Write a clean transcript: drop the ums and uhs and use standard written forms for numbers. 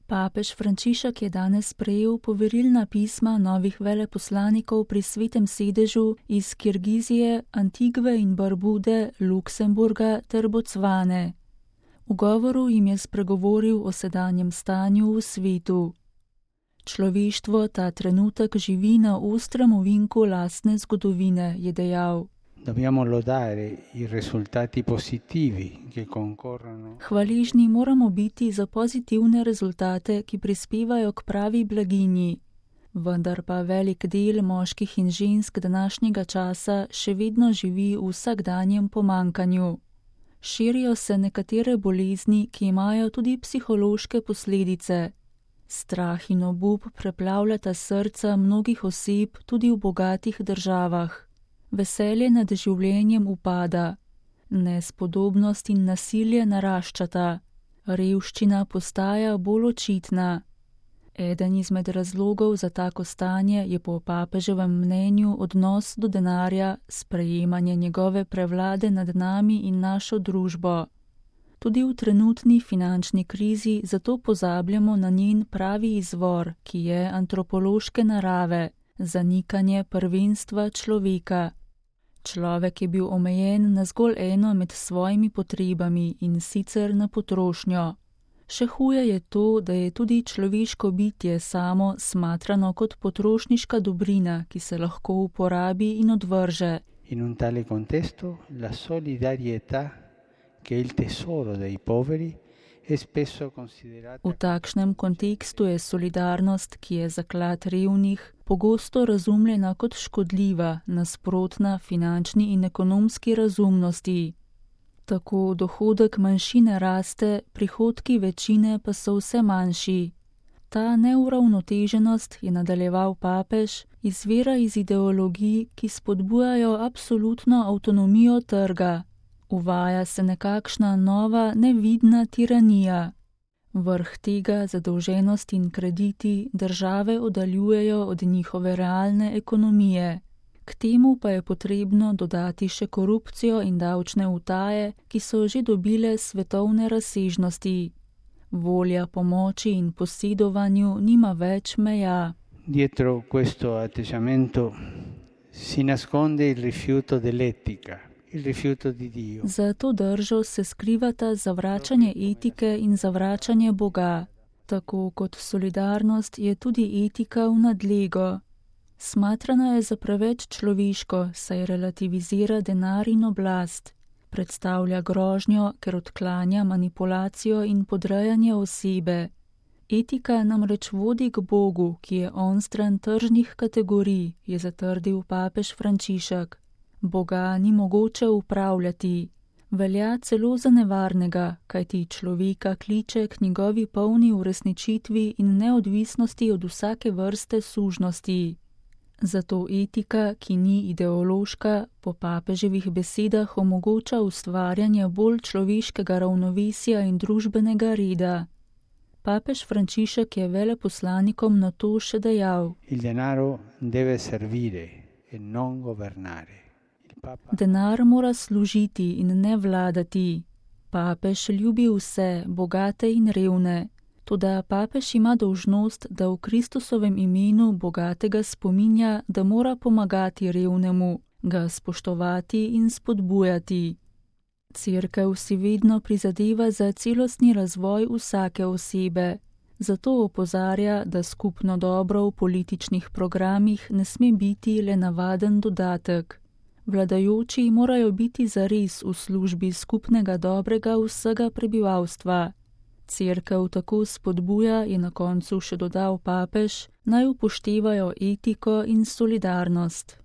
Papež Frančišek je danes prejel poverilna pisma novih veleposlanikov pri Svetem sedežu iz Kirgizije, Antigve in Barbude, Luksemburga ter Bocvane. V govoru jim je spregovoril o sedanjem stanju v svetu. Človeštvo ta trenutek živi na ostrem ovinku lastne zgodovine, je dejal. Dobbiamo lodare i risultati positivi che concorrono. Hvaležni moramo biti za pozitivne rezultate, ki prispevajo k pravi blaginji. Vendar pa velik del moških in žensk današnjega časa še vedno živi v vsakdanjem pomankanju. Širijo se nekatere bolezni, ki imajo tudi psihološke posledice. Strah in obup preplavljata srca mnogih oseb tudi v bogatih državah. Veselje nad življenjem upada. Nespodobnost in nasilje naraščata. Revščina postaja bolj očitna. Eden izmed razlogov za tako stanje je po papeževem mnenju odnos do denarja, sprejemanje njegove prevlade nad nami in našo družbo. Tudi v trenutni finančni krizi zato pozabljamo na njen pravi izvor, ki je antropološke narave, zanikanje prvenstva človeka. Človek je bil omejen na zgolj eno med svojimi potrebami in sicer na potrošnjo. Še huje je to, da je tudi človeško bitje samo smatrano kot potrošniška dobrina, ki se lahko uporabi in odvrže. In un tale contesto la solidarietà che è il tesoro dei poveri è spesso considerata. V takšnem kontekstu je solidarnost, ki je zaklad revnih, pogosto razumljena kot škodljiva, nasprotna finančni in ekonomski razumnosti. Tako dohodek manjšine raste, prihodki večine pa so vse manjši. Ta neuravnoteženost, je nadaljeval papež, izvira iz ideologij, ki spodbujajo absolutno avtonomijo trga. Uvaja se nekakšna nova, nevidna tiranija. Vrh tega zadolženost in krediti države oddaljujejo od njihove realne ekonomije. K temu pa je potrebno dodati še korupcijo in davčne utaje, ki so že dobile svetovne razsežnosti. Volja po moči in posedovanju nima več meja. Dietro questo atteggiamento si nasconde il rifiuto dell'etica, il rifiuto di Dio. Za to držo se skrivata zavračanje etike in zavračanje Boga. Tako kot solidarnost je tudi etika v nadlego. Smatrana je za preveč človeško, saj relativizira denar in oblast. Predstavlja grožnjo, ker odklanja manipulacijo in podrejanje osebe. Etika namreč vodi k Bogu, ki je onstran tržnih kategorij, je zatrdil papež Frančišek. Boga ni mogoče upravljati. Velja celo za nevarnega, kajti človeka kliče k njegovi polni uresničitvi in neodvisnosti od vsake vrste sužnosti. Zato etika, ki ni ideološka, po papeževih besedah omogoča ustvarjanje bolj človeškega ravnovesja in družbenega reda. Papež Frančišek je veleposlanikom na to še dejal: Il denaro deve servire e non governare. Denar mora služiti in ne vladati. Papež ljubi vse, bogate in revne. Toda papež ima dolžnost, da v Kristusovem imenu bogatega spominja, da mora pomagati revnemu, ga spoštovati in spodbujati. Cerkev si vedno prizadeva za celostni razvoj vsake osebe. Zato opozarja, da skupno dobro v političnih programih ne sme biti le navaden dodatek. Vladajoči morajo biti zares v službi skupnega dobrega vsega prebivalstva. Cerkev tako spodbuja, je na koncu še dodal papež, naj upoštevajo etiko in solidarnost.